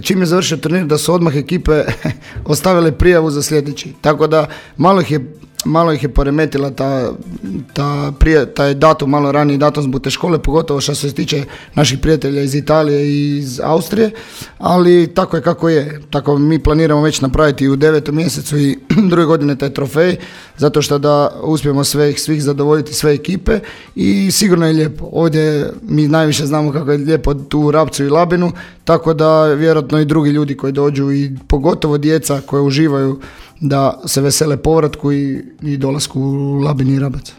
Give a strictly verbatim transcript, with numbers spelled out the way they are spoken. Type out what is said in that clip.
Čim je završio turnir da su odmah ekipe ostavile prijavu za sljedeći. Tako da malo ih je, malo ih je poremetila ta, ta prije, taj datum, malo raniji datum zbog te škole, pogotovo što se tiče naših prijatelja iz Italije i iz Austrije, ali tako je kako je. Tako mi planiramo već napraviti u devetom mjesecu i druge godine taj trofej, zato što da uspijemo sve, svih zadovoljiti, sve ekipe i sigurno je lijepo. Ovdje mi najviše znamo kako je lijepo tu u Rapcu i Labinu, tako da vjerojatno i drugi ljudi koji dođu i pogotovo djeca koje uživaju da se vesele povratku i, i dolasku u Labin i Rabac.